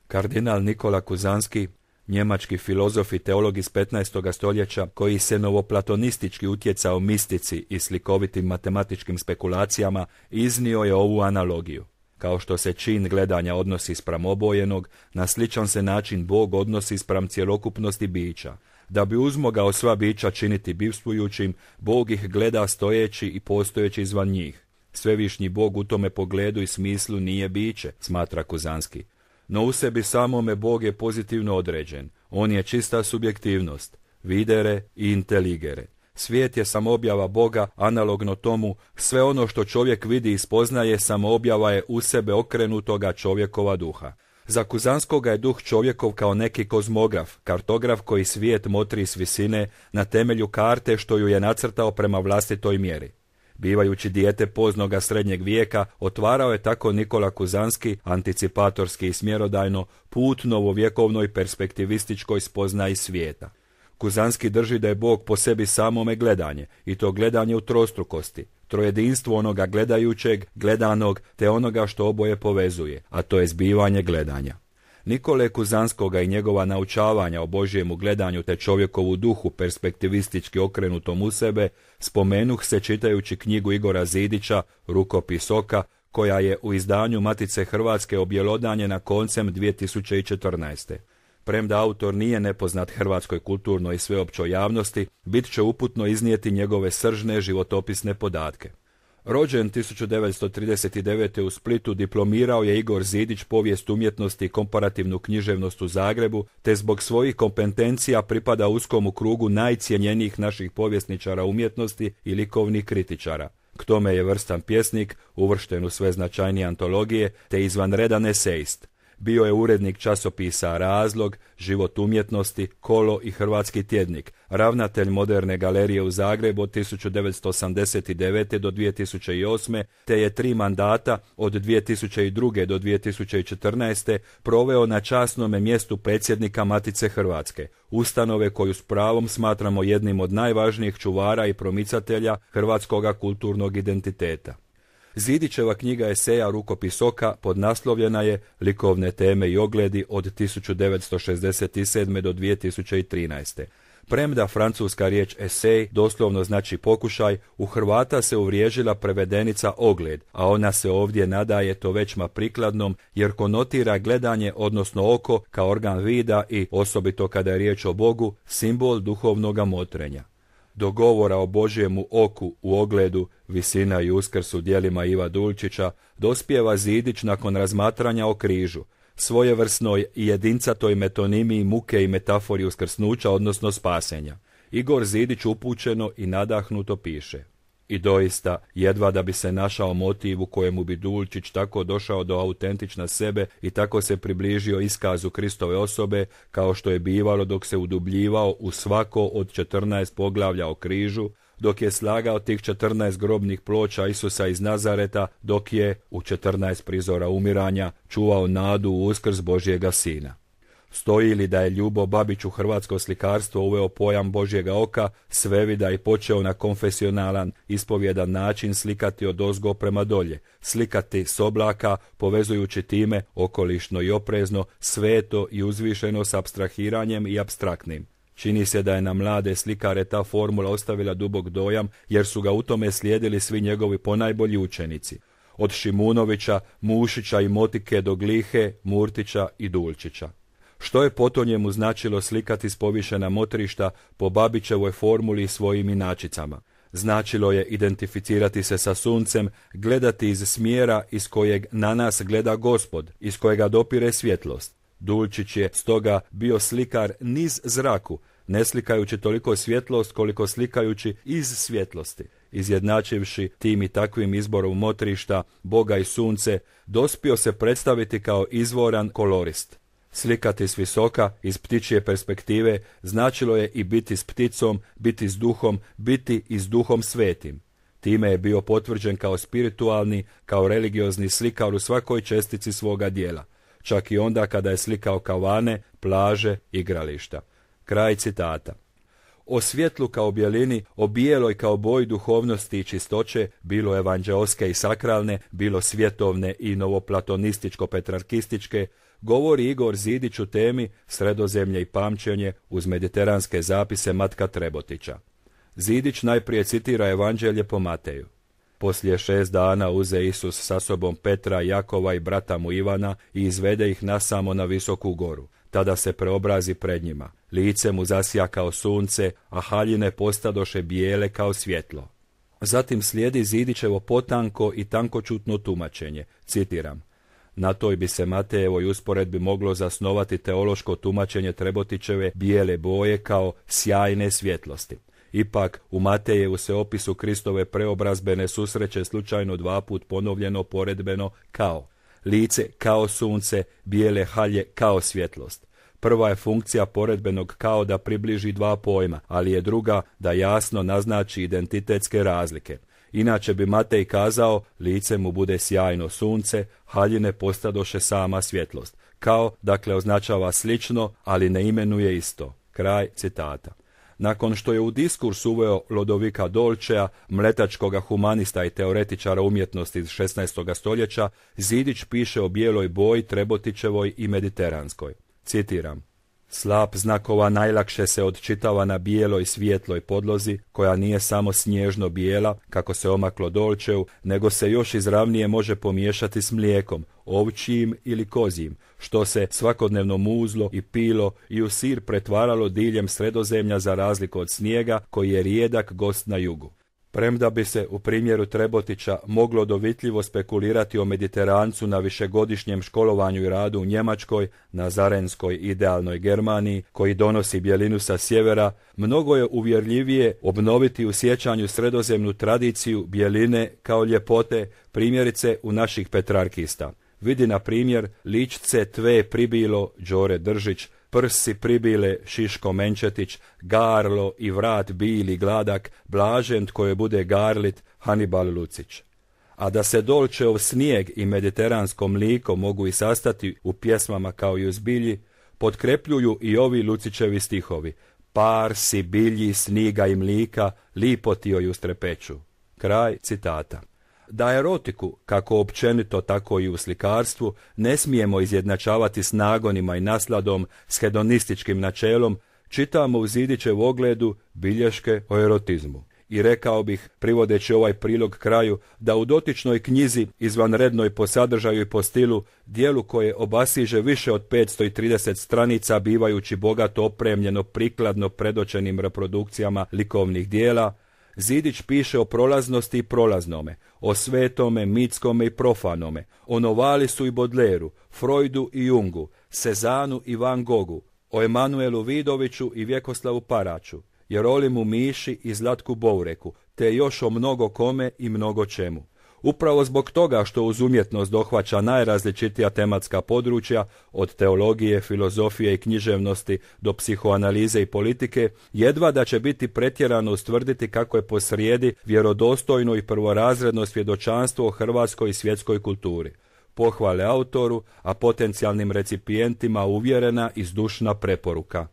Kardinal Nikola Kuzanski, njemački filozof i teolog iz 15. stoljeća, koji se novoplatonistički utjecao mistici i slikovitim matematičkim spekulacijama, iznio je ovu analogiju. Kao što se čin gledanja odnosi spram obojenog, na sličan se način Bog odnosi spram cjelokupnosti bića. Da bi uzmogao sva bića činiti bivstvujućim, Bog ih gleda stojeći i postojeći izvan njih. Svevišnji Bog u tome pogledu i smislu nije biće, smatra Kuzanski. No u sebi samome Bog je pozitivno određen. On je čista subjektivnost, videre i inteligere. Svijet je samoobjava Boga, analogno tomu, sve ono što čovjek vidi i spoznaje samoobjava je u sebe okrenutoga čovjekova duha. Za Kuzanskoga je duh čovjekov kao neki kozmograf, kartograf koji svijet motri s visine na temelju karte što ju je nacrtao prema vlastitoj mjeri. Bivajući dijete poznoga srednjeg vijeka, otvarao je tako Nikola Kuzanski, anticipatorski i smjerodajno, put novovjekovnoj perspektivističkoj spoznaji svijeta. Kuzanski drži da je Bog po sebi samome gledanje, i to gledanje u trostrukosti, trojedinstvo onoga gledajućeg, gledanog, te onoga što oboje povezuje, a to je zbivanje gledanja. Nikole Kuzanskoga i njegova naučavanja o Božjemu gledanju te čovjekovu duhu perspektivistički okrenutom u sebe, spomenuh se čitajući knjigu Igora Zidića, Rukopis oka, koja je u izdanju Matice Hrvatske objelodanjena koncem 2014. Premda autor nije nepoznat hrvatskoj kulturnoj i sveopćoj javnosti, bit će uputno iznijeti njegove sržne životopisne podatke. Rođen 1939. u Splitu, diplomirao je Igor Zidić povijest umjetnosti i komparativnu književnost u Zagrebu, te zbog svojih kompetencija pripada uskom krugu najcjenjenijih naših povjesničara umjetnosti i likovnih kritičara. K tome je vrstan pjesnik, uvršten u sve značajnije antologije, te izvanredan esejist. Bio je urednik časopisa Razlog, Život umjetnosti, Kolo i Hrvatski tjednik, ravnatelj Moderne galerije u Zagrebu od 1989. do 2008. te je 3 mandata od 2002. do 2014. proveo na časnome mjestu predsjednika Matice Hrvatske, ustanove koju s pravom smatramo jednim od najvažnijih čuvara i promicatelja hrvatskoga kulturnog identiteta. Zidićeva knjiga eseja Rukopis oka podnaslovljena je Likovne teme i ogledi od 1967. do 2013. Premda francuska riječ esej doslovno znači pokušaj, u Hrvata se uvriježila prevedenica ogled, a ona se ovdje nadaje to većma prikladnom jer konotira gledanje, odnosno oko, kao organ vida i, osobito kada je riječ o Bogu, simbol duhovnoga motrenja. Do govora o Božjemu oku u ogledu, Visina i Uskrs u djelima Iva Dulčića, dospijeva Zidić nakon razmatranja o križu, svojevrsnoj i jedincatoj metonimiji muke i metafori uskrsnuća, odnosno spasenja. Igor Zidić upućeno i nadahnuto piše: I doista, jedva da bi se našao motiv u kojemu bi Dulčić tako došao do autentična sebe i tako se približio iskazu Kristove osobe, kao što je bivalo dok se udubljivao u svako od 14 poglavlja o križu, dok je slagao tih 14 grobnih ploča Isusa iz Nazareta, dok je, u 14 prizora umiranja, čuvao nadu u uskrs Božjega Sina. Stoji li da je Ljubo Babić u hrvatsko slikarstvo uveo pojam Božjega oka, svevida i počeo na konfesionalan, ispovjedan način slikati odozgo prema dolje, slikati s oblaka, povezujući time, okolišno i oprezno, sveto i uzvišeno s apstrahiranjem i apstraktnim. Čini se da je na mlade slikare ta formula ostavila dubok dojam, jer su ga u tome slijedili svi njegovi ponajbolji učenici. Od Šimunovića, Mušića i Motike do Glihe, Murtića i Dulčića. Što je po to njemu značilo slikati s povišena motrišta po Babićevoj formuli i svojim inačicama? Značilo je identificirati se sa suncem, gledati iz smjera iz kojeg na nas gleda Gospod, iz kojega dopire svjetlost. Dulčić je stoga bio slikar niz zraku, ne slikajući toliko svjetlost koliko slikajući iz svjetlosti. Izjednačivši tim i takvim izborom motrišta, Boga i sunce, dospio se predstaviti kao izvoran kolorist. Slikati s visoka, iz ptičje perspektive, značilo je i biti s pticom, biti s duhom, biti i s duhom svetim. Time je bio potvrđen kao spiritualni, kao religiozni slikar u svakoj čestici svoga dijela, čak i onda kada je slikao kavane, plaže, igrališta. Kraj citata. O svjetlu kao bjelini, o bijeloj kao boji duhovnosti i čistoće, bilo evanđeoske i sakralne, bilo svjetovne i novoplatonističko-petrarkističke, govori Igor Zidić u temi Sredozemlje i pamćenje uz mediteranske zapise Matka Trebotića. Zidić najprije citira Evanđelje po Mateju. Poslije 6 dana uze Isus sa sobom Petra, Jakova i brata mu Ivana i izvede ih nasamo na visoku goru. Tada se preobrazi pred njima. Lice mu zasja kao sunce, a haljine postadoše bijele kao svjetlo. Zatim slijedi Zidićevo potanko i tankočutno tumačenje. Citiram. Na toj bi se Matejevoj usporedbi moglo zasnovati teološko tumačenje Trebotićeve bijele boje kao sjajne svjetlosti. Ipak, u Matejevu se opisu Kristove preobrazbe ne susreće slučajno 2 put ponovljeno poredbeno kao lice kao sunce, bijele halje kao svjetlost. Prva je funkcija poredbenog kao da približi 2 pojma, ali je druga da jasno naznači identitetske razlike. Inače bi Matej kazao, lice mu bude sjajno sunce, haljine postadoše sama svjetlost. Kao, dakle, označava slično, ali ne imenuje isto. Kraj citata. Nakon što je u diskurs uveo Lodovika Dolčea, mletačkoga humanista i teoretičara umjetnosti iz 16. stoljeća, Zidić piše o bijeloj boji, Trebotićevoj i mediteranskoj. Citiram. Slap znakova najlakše se odčitava na bijeloj svijetloj podlozi, koja nije samo snježno bijela, kako se omaklo Dolčeu, nego se još izravnije može pomiješati s mlijekom, ovčijim ili kozijim, što se svakodnevno muzlo i pilo i u sir pretvaralo diljem Sredozemlja za razliku od snijega, koji je rijedak gost na jugu. Premda bi se u primjeru Trebotića moglo dovitljivo spekulirati o Mediterancu na višegodišnjem školovanju i radu u Njemačkoj, na zarenskoj idealnoj Germaniji, koji donosi bjelinu sa sjevera, mnogo je uvjerljivije obnoviti u sjećanju sredozemnu tradiciju bjeline kao ljepote, primjerice u naših petrarkista. Vidi na primjer ličce tve pribilo Đore Držić, prsi pribile Šiško Menčetić, garlo i vrat bili gladak, blažen tko je bude garlit Hanibal Lucić. A da se Dolčeov snijeg i mediteransko mliko mogu i sastati u pjesmama kao i u zbilji, potkrepljuju i ovi Lucićevi stihovi. Par si bilji, sniga i mlika, lipo ti joj ustrepeću. Kraj citata. Da erotiku, kako općenito tako i u slikarstvu, ne smijemo izjednačavati s nagonima i nasladom, s hedonističkim načelom, čitamo u Zidićev ogledu bilješke o erotizmu. I rekao bih, privodeći ovaj prilog kraju, da u dotičnoj knjizi, izvanrednoj po sadržaju i po stilu, dijelu koje obasiže više od 530 stranica, bivajući bogato opremljeno prikladno predočenim reprodukcijama likovnih dijela, Zidić piše o prolaznosti i prolaznome, o svetome, mitskome i profanome, o Novalisu i Bodleru, Freudu i Jungu, Sezanu i Van Gogu, o Emanuelu Vidoviću i Vjekoslavu Paraću, Jerolimu Miši i Zlatku Boureku, te još o mnogo kome i mnogo čemu. Upravo zbog toga što uz umjetnost dohvaća najrazličitija tematska područja, od teologije, filozofije i književnosti do psihoanalize i politike, jedva da će biti pretjerano ustvrditi kako je posrijedi vjerodostojno i prvorazredno svjedočanstvo o hrvatskoj i svjetskoj kulturi. Pohvale autoru, a potencijalnim recipijentima uvjerena i zdušna preporuka.